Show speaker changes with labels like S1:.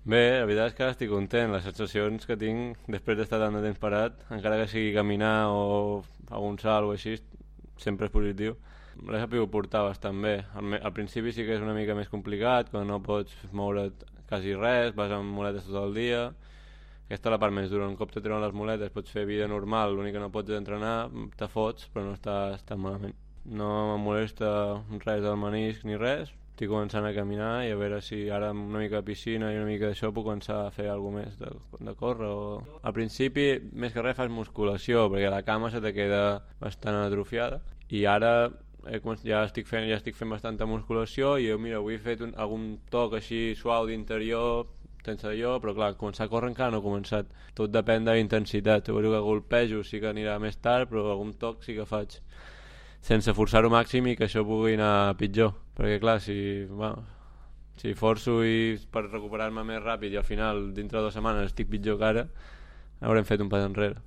S1: Bé, la veritat és que ara estic content. Les sensacions que tinc després d'estar tant de temps parat, encara que sigui caminar o algun salt o així, sempre és positiu. L'he sabut portar bastant bé. Al principi sí que és una mica més complicat, quan no pots moure't quasi res, vas amb muletes tot el dia. Aquesta és la part més dura. Un cop te treuen les muletes pots fer vida normal, l'únic que no pots és entrenar, te fots, però no estàs tan malament. No em molesta res del menisc ni res. Estic començant a caminar i a veure si ara amb una mica de piscina i una mica d'això puc començar a fer alguna més de córrer Al principi, més que res fas musculació, perquè la cama se te queda bastant atrofiada i ara ja estic fent bastanta musculació i mira, avui he fet algun toc així suau d'interior sense allò, però clar, començar a córrer encara no he començat. Tot depèn de la intensitat. Suposo que golpejo sí que anirà més tard, però algun toc sí que faig sense forçar-ho màxim i que això pugui anar pitjor. Perquè clar, si forço per recuperar-me més ràpid i al final dintre de 2 setmanes estic pitjor que ara, haurem fet un pas enrere.